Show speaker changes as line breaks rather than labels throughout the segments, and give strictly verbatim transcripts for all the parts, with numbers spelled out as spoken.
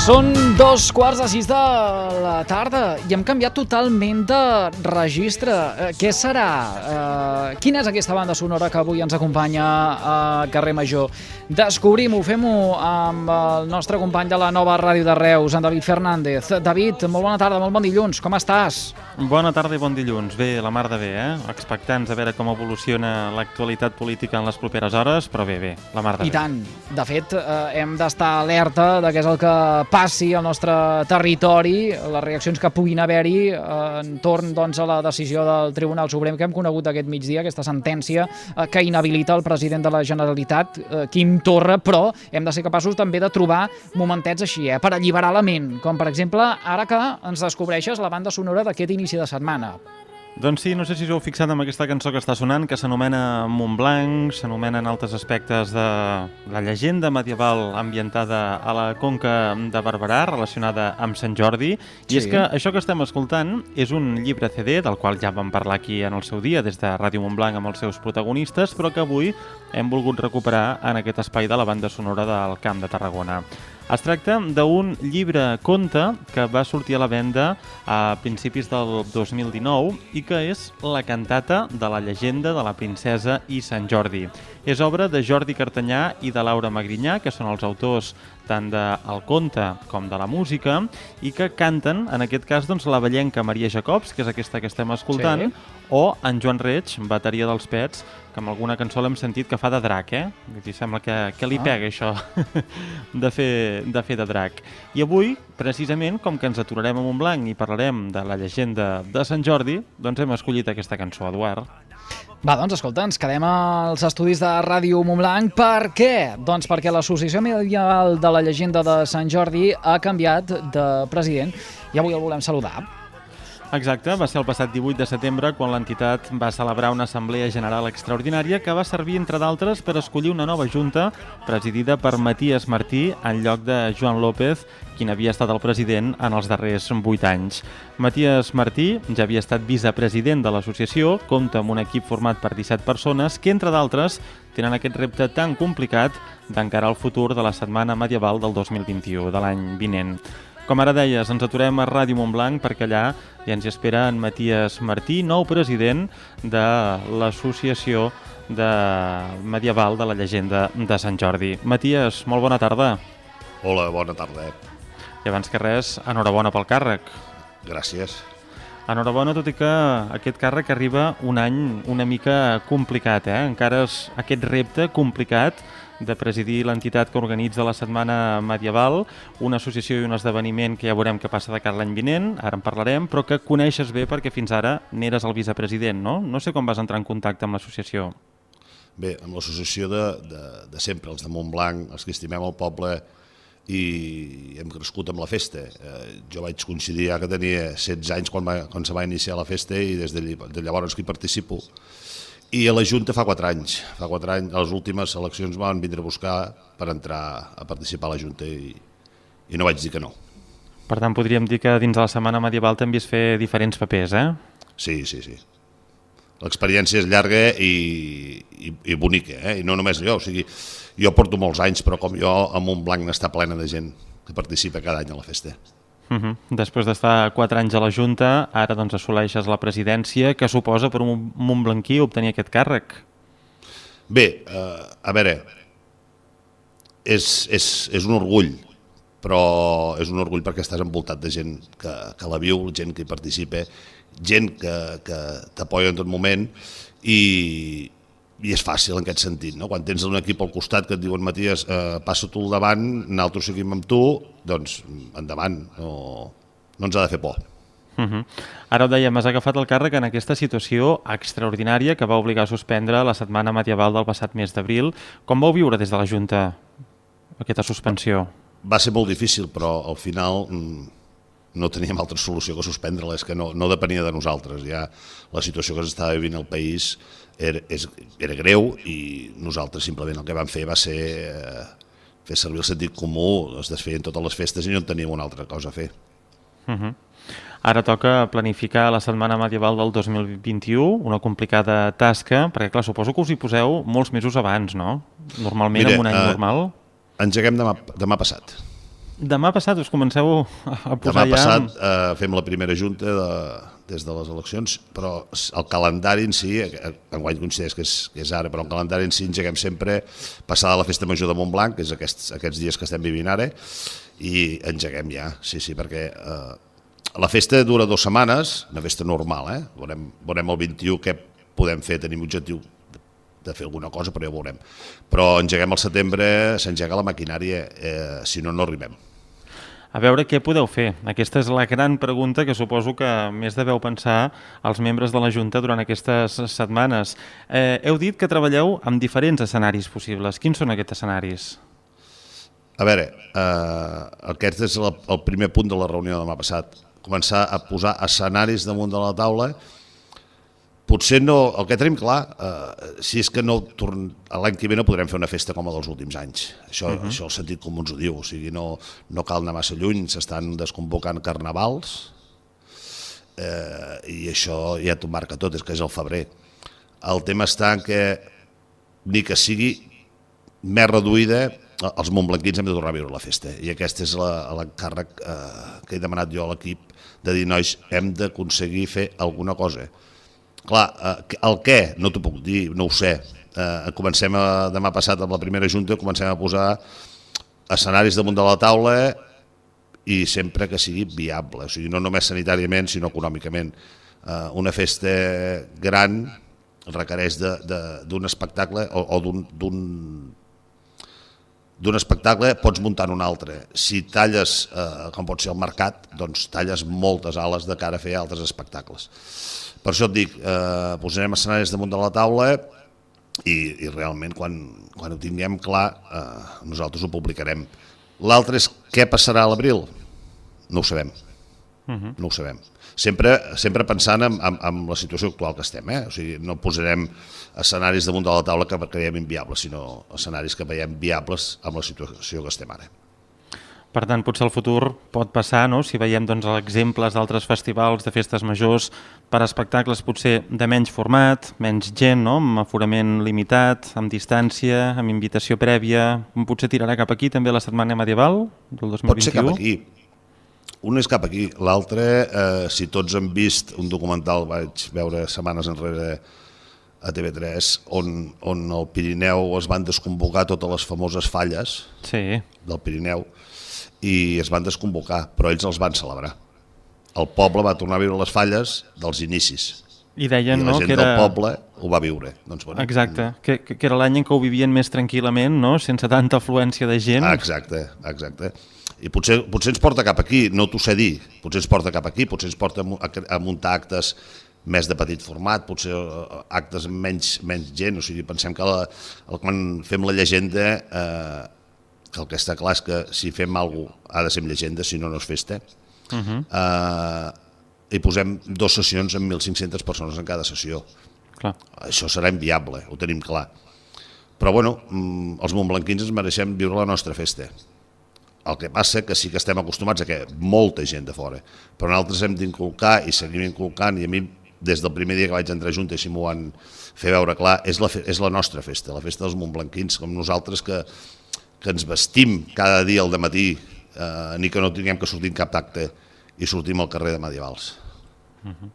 Són dos quarts de sis de la tarda i hem canviat totalment de registre. Eh, què serà? Eh, quina és aquesta banda sonora que avui ens acompanya a Carrer Major? Descobrim-ho, fem-ho amb el nostre company de la nova ràdio de Reus, en David Fernández. David, molt bona tarda, molt bon dilluns, com estàs?
Bona tarda i bon dilluns. Bé, la mar de bé, eh? Expectants a veure com evoluciona l'actualitat política en les properes hores, però bé, bé, la mar de bé.
I tant. De fet, eh, hem d'estar alerta de què és el que passi al nostre territori, les reaccions que puguin haver-hi eh, entorn doncs, a la decisió del Tribunal Suprem que hem conegut aquest migdia, aquesta sentència eh, que inhabilita el president de la Generalitat, eh, Quim Torra, però hem de ser capaços també de trobar momentets així, eh, per alliberar la ment, com per exemple ara que ens descobreixes la banda sonora d'aquest inici de setmana.
Doncs sí, no sé si us heu fixat en aquesta cançó que està sonant, que s'anomena Montblanc, s'anomena en altres aspectes de la llegenda medieval ambientada a la Conca de Barberà, relacionada amb Sant Jordi. I
Sí.
és que això que estem escoltant és un llibre C D, del qual ja vam parlar aquí en el seu dia, des de Ràdio Montblanc amb els seus protagonistes, però que avui hem volgut recuperar en aquest espai de la banda sonora del Camp de Tarragona. Es tracta d'un llibre conte que va sortir a la venda a principis del dos mil dinou i que és la cantata de la llegenda de la princesa i Sant Jordi. És obra de Jordi Cartanyà i de Laura Magrinyà, que són els autors tant del conte com de la música, i que canten, en aquest cas, doncs, la vellenca Maria Jacobs, que és aquesta que estem escoltant,
Sí.
o en Joan Reig, bateria dels Pets, que amb alguna cançó l'hem sentit que fa de drac, eh? Vull dir, sembla que, que li
Ah.
pega això de fer, de fer de drac. I avui, precisament, com que ens aturarem a Montblanc i parlarem de la llegenda de Sant Jordi, doncs hem escollit aquesta cançó, Eduard.
Va, doncs escolta, ens quedem als estudis de Ràdio Montblanc. Per què? Doncs perquè l'Associació Medieval de la Llegenda de Sant Jordi ha canviat de president i avui el volem saludar.
Exacte, va ser el passat divuit de setembre quan l'entitat va celebrar una assemblea general extraordinària que va servir, entre d'altres, per escollir una nova junta presidida per Matías Martí en lloc de Joan López, quin havia estat el president en els darrers vuit anys. Matías Martí ja havia estat vicepresident de l'associació, compta amb un equip format per disset persones que, entre d'altres, tenen aquest repte tan complicat d'encarar el futur de la Setmana Medieval del dos mil vint-i-u, de l'any vinent. Com ara deies, ens aturem a Ràdio Montblanc perquè allà ja ens espera en Matías Martí, nou president de l'Associació de Medieval de la Llegenda de Sant Jordi. Matías, molt bona tarda.
Hola, bona tarda.
I abans que res, enhorabona pel càrrec.
Gràcies.
Enhorabona, tot i que aquest càrrec arriba un any una mica complicat, eh? Encara és aquest repte complicat de presidir l'entitat que organitza la Setmana Medieval, una associació i un esdeveniment que ja veurem què passa de cara l'any vinent, ara en parlarem, però que coneixes bé perquè fins ara n'eres el vicepresident, no? No sé com vas entrar en contacte amb l'associació.
Bé, amb l'associació de, de, de sempre, els de Montblanc, els que estimem el poble i hem crescut amb la festa. Eh, jo vaig coincidir ja que tenia setze anys quan, va, quan se va iniciar la festa i des de, de llavors que hi participo. I a la Junta fa quatre anys. Fa quatre anys, a les últimes eleccions van vindre a buscar per entrar a participar a la Junta i, i no vaig dir que no.
Per tant, podríem dir que dins de la Setmana Medieval també has fer diferents papers, eh?
Sí, sí, sí. L'experiència és llarga i, i, i bonica, eh? I no només jo, o sigui, jo porto molts anys, però com jo, a Montblanc n'està plena de gent que participa cada any a la festa.
Uh -huh. Després d'estar quatre anys a la Junta, ara doncs assoleixes la presidència. Què suposa per un montblanquí obtenir aquest càrrec?
Bé, eh, a veure, és, és, és un orgull, però és un orgull perquè estàs envoltat de gent que, que la viu, gent que hi participa, gent que, que t'apoya en tot moment i, i és fàcil en aquest sentit, no? Quan tens un equip al costat que et diuen Matías, eh, passa tu al davant, nosaltres seguim amb tu, doncs endavant, no, no ens ha de fer por.
Uh -huh. Ara ho dèiem, has agafat el càrrec en aquesta situació extraordinària que va obligar a suspendre la Setmana Medieval del passat mes d'abril. Com vau viure des de la Junta aquesta suspensió?
Va ser molt difícil, però al final no teníem altra solució que suspendre-la, és que no, no depenia de nosaltres. Ja la situació que s'estava vivint al país era, és, era greu i nosaltres simplement el que vam fer va ser eh, fer servir el sentit comú, es desfeien totes les festes i no en teníem una altra cosa a fer.
Uh -huh. Ara toca planificar la Setmana Medieval del dos mil vint-i-u, una complicada tasca, perquè clar, suposo que us hi poseu molts mesos abans, no? Normalment,
Mira,
en un any
eh,
normal.
Engeguem demà, demà passat.
Demà passat us comenceu a posar
Demà
ja...
passat eh, fem la primera junta de, des de les eleccions, però el calendari en si, enguany coincideix que és, que és ara, però el calendari en si engeguem sempre passada la Festa Major de Montblanc, que és aquests, aquests dies que estem vivint ara, i engeguem ja, sí, sí, perquè eh, la festa dura dues setmanes, una festa normal, eh? Veurem, veurem el vint-i-u què podem fer, tenim objectiu de fer alguna cosa, però ja ho veurem. Però engeguem al setembre, s'engega la maquinària, eh, si no, no arribem.
A veure què podeu fer. Aquesta és la gran pregunta que suposo que més deveu pensar els membres de la Junta durant aquestes setmanes. Eh, heu dit que treballeu amb diferents escenaris possibles. Quins són aquests escenaris?
A veure, eh, aquest és el, el primer punt de la reunió de demà passat. Començar a posar escenaris damunt de la taula. Potser no, el que tenim clar, eh, si és que no l'any que ve no podrem fer una festa com la dels últims anys. Això, uh -huh. això el sentit comú ens ho diu, o sigui, no, no cal anar massa lluny, s'estan desconvocant carnavals eh, i això ja t'ho marca tot, és que és el febrer. El tema està en que ni que sigui més reduïda, els montblanquins hem de tornar a viure la festa i aquest és l'encàrrec eh, que he demanat jo a l'equip de dir, nois, hem d'aconseguir fer alguna cosa. Clar, el què? No t'ho puc dir, no ho sé. Eh, comencem a, demà passat amb la primera junta, comencem a posar escenaris damunt de la taula i sempre que sigui viable, o sigui, no només sanitàriament, sinó econòmicament. Eh, una festa gran requereix d'un espectacle o, o d'un d'un espectacle pots muntar un altre. Si talles, eh, com pot ser el mercat, doncs talles moltes ales de cara a fer altres espectacles. Per això et dic, eh, posarem escenaris damunt de la taula i, i realment quan, quan ho tinguem clar eh, nosaltres ho publicarem. L'altre és què passarà a l'abril? No ho sabem. Uh-huh. No ho sabem. Sempre, sempre pensant en, en, en la situació actual que estem. Eh? O sigui, no posarem escenaris damunt de la taula que creiem inviables, sinó escenaris que veiem viables amb la situació que estem ara.
Per tant, potser el futur pot passar, no? Si veiem doncs, exemples d'altres festivals de festes majors per espectacles potser de menys format, menys gent, no? Amb aforament limitat, amb distància, amb invitació prèvia. Potser tirarà cap aquí també la setmana medieval del dos mil vint-i-u?
Pot ser cap aquí. Un és cap aquí. L'altre, eh, si tots han vist un documental, vaig veure setmanes enrere a T V tres, on, on al Pirineu es van desconvocar totes les famoses falles
sí.
del Pirineu, i es van desconvocar, però ells els van celebrar. El poble va tornar a viure les falles dels inicis.
I deien,
I la
no,
gent
que era...
del poble ho va viure. Doncs, bueno,
exacte, que, que era l'any en què ho vivien més tranquil·lament, no? Sense tanta afluència de gent.
Exacte, exacte. I potser, potser ens porta cap aquí, no t'ho sé dir, potser ens porta cap aquí, potser ens porta a, a muntar actes més de petit format, potser actes amb menys, menys gent, o sigui, pensem que la, quan fem la llegenda... Eh, que el que està clar és que si fem alguna cosa ha de ser amb llegenda, si no, no és festa. Uh-huh. uh, I posem dues sessions amb mil cinc-centes persones en cada sessió.
Clar.
Això serà inviable, ho tenim clar. Però bueno, els montblanquins ens mereixem viure la nostra festa. El que passa que sí que estem acostumats a que molta gent de fora, però nosaltres hem d'inculcar i seguim inculcant, i a mi des del primer dia que vaig entrar a Junta, així m'ho van fer veure clar, és la, és la nostra festa, la festa dels montblanquins, com nosaltres que que ens vestim cada dia al dematí, eh, ni que no tinguem que sortir en cap acte i sortim al carrer de medievals.
Uh-huh.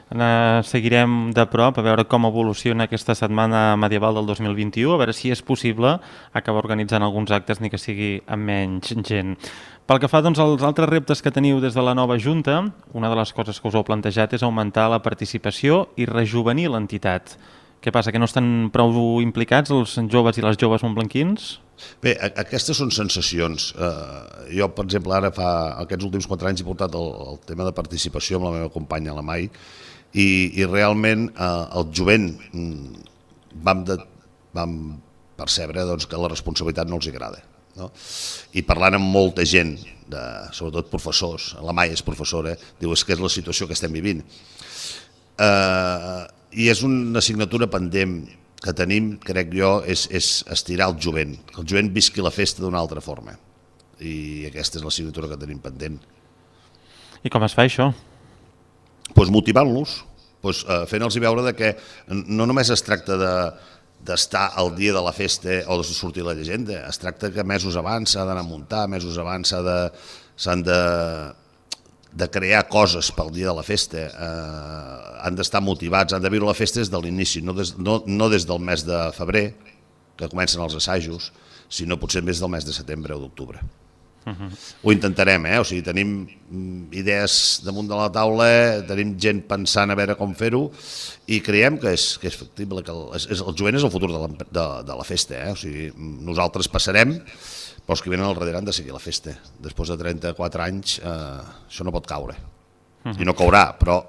Uh, seguirem de prop a veure com evoluciona aquesta setmana medieval del dos mil vint-i-u, a veure si és possible acabar organitzant alguns actes ni que sigui amb menys gent. Pel que fa doncs, als altres reptes que teniu des de la nova Junta, una de les coses que us heu plantejat és augmentar la participació i rejuvenir l'entitat. Què passa, que no estan prou implicats els joves i les joves montblanquins?
Bé, aquestes són sensacions. Uh, jo, per exemple, ara fa aquests últims quatre anys he portat el, el tema de participació amb la meva companya, la Mai, i, i realment uh, el jovent vam, de, vam percebre doncs, que la responsabilitat no els agrada. No? I parlant amb molta gent, de, sobretot professors, la Mai és professora, diu és que és la situació que estem vivint. Uh, I és una assignatura pendent que tenim, crec jo, és, és estirar el jovent, que el jovent visqui la festa d'una altra forma. I aquesta és l'assignatura que tenim pendent.
I com es fa això?
Pues motivant-los, pues, uh, fent-los veure de que no només es tracta de, d'estar al dia de la festa o de sortir la llegenda. Es tracta que mesos abans s'ha d'anar a muntar, mesos abans s'han de, de crear coses pel dia de la festa. Eh, han d'estar motivats, han de viure la festa des de l'inici, no, des, no, no des del mes de febrer, que comencen els assajos, sinó potser més del mes de setembre o d'octubre. Uh-huh. Ho intentarem, eh? O sigui, tenim idees damunt de la taula, tenim gent pensant a veure com fer-ho i creiem que és, que és factible, que el, és, el jovent és el futur de la, de, de la festa, eh? O sigui, nosaltres passarem, però els que venen al darrere han de seguir la festa. Després de trenta-quatre anys eh, això no pot caure. Uh-huh. I no caurà, però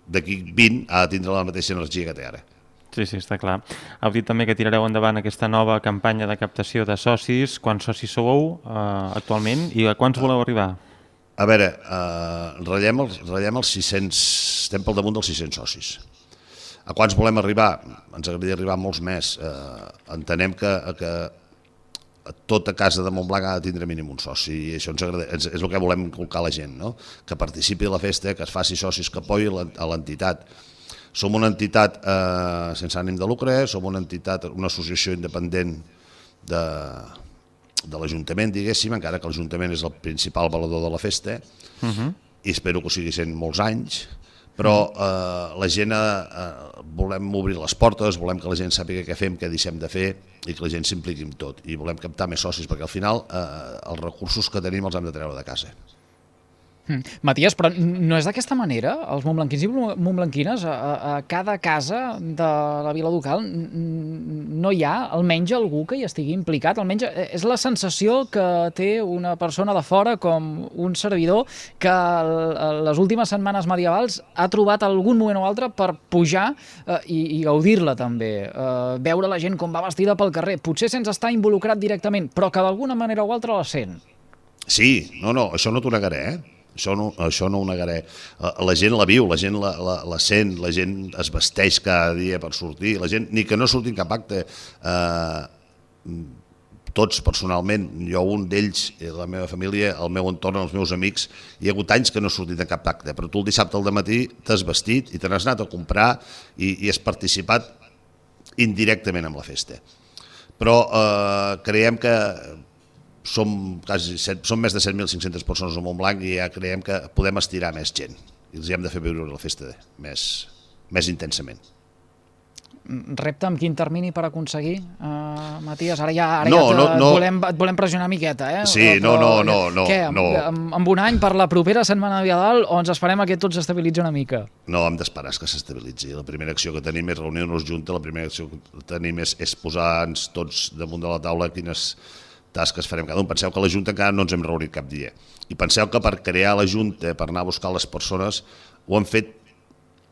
d'aquí vint ha de tindre la mateixa energia que té ara.
Sí, sí, està clar. Heu dit també que tirareu endavant aquesta nova campanya de captació de socis. Quants socis sou eh, actualment i a quants voleu arribar?
A veure, eh, ratllem, els, ratllem els sis-cents, estem pel damunt dels sis-cents socis. A quants volem arribar? Ens agradaria arribar a molts més. Eh, entenem que, que tota casa de Montblanc ha de tindre mínim un soci i això ens agrada, és el que volem inculcar a la gent, no? Que participi a la festa, que es faci socis, que apoyi a l'entitat. Som una entitat eh, sense ànim de lucre, som una entitat, una associació independent de, de l'Ajuntament, diguéssim, encara que l'Ajuntament és el principal valedor de la festa, uh-huh. i espero que ho sigui sent molts anys, però eh, la gent eh, volem obrir les portes, volem que la gent sàpiga què fem, què deixem de fer, i que la gent s'impliqui en tot, i volem captar més socis, perquè al final eh, els recursos que tenim els hem de treure de casa.
Mm. Matías, però no és d'aquesta manera? Els montblanquins i montblanquines, a, a cada casa de la Vila Ducal no hi ha almenys algú que hi estigui implicat? Almenys és la sensació que té una persona de fora com un servidor que les últimes setmanes medievals ha trobat algun moment o altre per pujar eh, i, i gaudir-la també. Eh, veure la gent com va vestida pel carrer, potser sense estar involucrat directament, però que d'alguna manera o altra la sent.
Sí, no, no, això no t'ho negaré, eh? Això no, això no ho negaré. La gent la viu, la gent la, la, la sent, la gent es vesteix cada dia per sortir, la gent, ni que no surti en cap acte, eh, tots personalment, jo un d'ells, la meva família, el meu entorn, els meus amics, hi ha hagut anys que no he sortit en cap acte, però tu el dissabte al matí t'has vestit i te n'has anat a comprar i, i has participat indirectament en la festa. Però eh, creiem que Som, quasi set, som més de set mil cinc-centes persones a Montblanc i ja creiem que podem estirar més gent i els hem de fer viure la festa més, més intensament.
Repte amb quin termini per aconseguir, uh, Matías? Ara ja, ara
no,
ja
no, no.
Et, volem, et volem pressionar una miqueta, eh?
Sí, no, no, no. no
Què,
no.
Amb, amb un any per la propera setmana de Nadal o ens esperem a que tot s'estabilitzi una mica?
No, hem d'esperar que s'estabilitzi. La primera acció que tenim és reunir-nos junta, la primera acció que tenim és, és posar-nos tots damunt de la taula quines tasques farem cada un. Penseu que a la Junta encara no ens hem reunit cap dia. I penseu que per crear la Junta, per anar a buscar les persones, ho hem fet,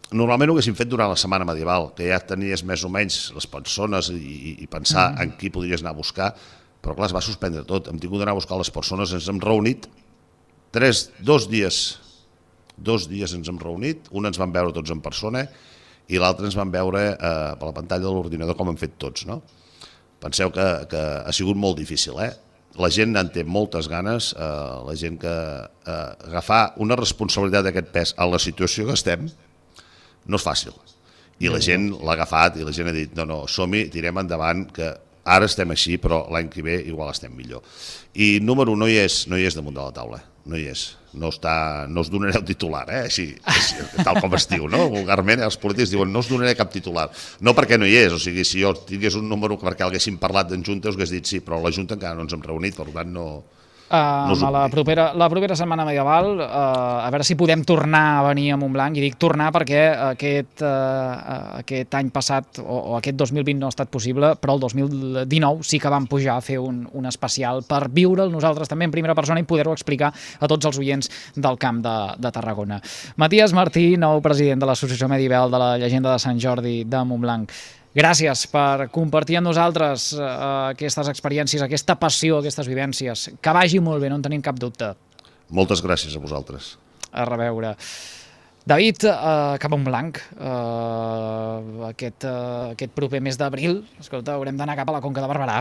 normalment ho haguéssim fet durant la setmana medieval, que ja tenies més o menys les persones i, i pensar mm. en qui podries anar a buscar, però clar, es va suspendre tot. Hem tingut d'anar a buscar les persones, ens hem reunit tres, dos dies, dos dies ens hem reunit, un ens van veure tots en persona i l'altre ens van veure eh, per la pantalla de l'ordinador com hem fet tots, no? Penseu que, que ha sigut molt difícil, eh? La gent en té moltes ganes, eh, la gent que eh, agafar una responsabilitat d'aquest pes en la situació que estem no és fàcil. I la gent l'ha agafat i la gent ha dit no, no, som-hi, tirem endavant, que ara estem així, però l'any que ve igual estem millor. I número no hi és, no hi és damunt de la taula, no hi és. No, està, no us donareu titular, eh? Així, així, tal com es diu, no? Vulgarment els polítics diuen no us donaré cap titular. No perquè no hi és, o sigui, si jo tingués un número perquè haguéssim parlat en Junta us hagués dit sí, però la Junta encara no ens hem reunit, per tant no...
Uh, no la, propera, la propera setmana medieval, uh, a veure si podem tornar a venir a Montblanc, i dic tornar perquè aquest, uh, aquest any passat o, o aquest dos mil vint no ha estat possible, però el dos mil dinou sí que vam pujar a fer un, un especial per viure'l nosaltres també en primera persona i poder-ho explicar a tots els oients del Camp de, de Tarragona. Matías Martí, nou president de l'Associació Medieval de la Llegenda de Sant Jordi de Montblanc. Gràcies per compartir amb nosaltres uh, aquestes experiències, aquesta passió, aquestes vivències. Que vagi molt bé, no en tenim cap dubte.
Moltes gràcies a vosaltres.
A reveure. David, uh, cap a Montblanc, uh, aquest, uh, aquest proper mes d'abril, escolta, haurem d'anar cap a la Conca de Barberà.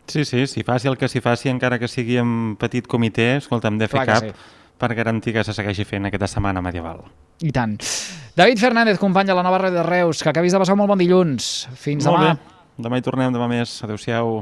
Sí, sí, si faci el que s'hi faci, encara que sigui en petit comitè, escolta, hem de fer cap per garantir que se segueixi fent aquesta setmana medieval.
I tant. David Fernández, company de la Nova Ràdio de Reus, que acabis de passar un molt bon dilluns. Fins demà.
Demà hi tornem, demà més. Adéu-siau.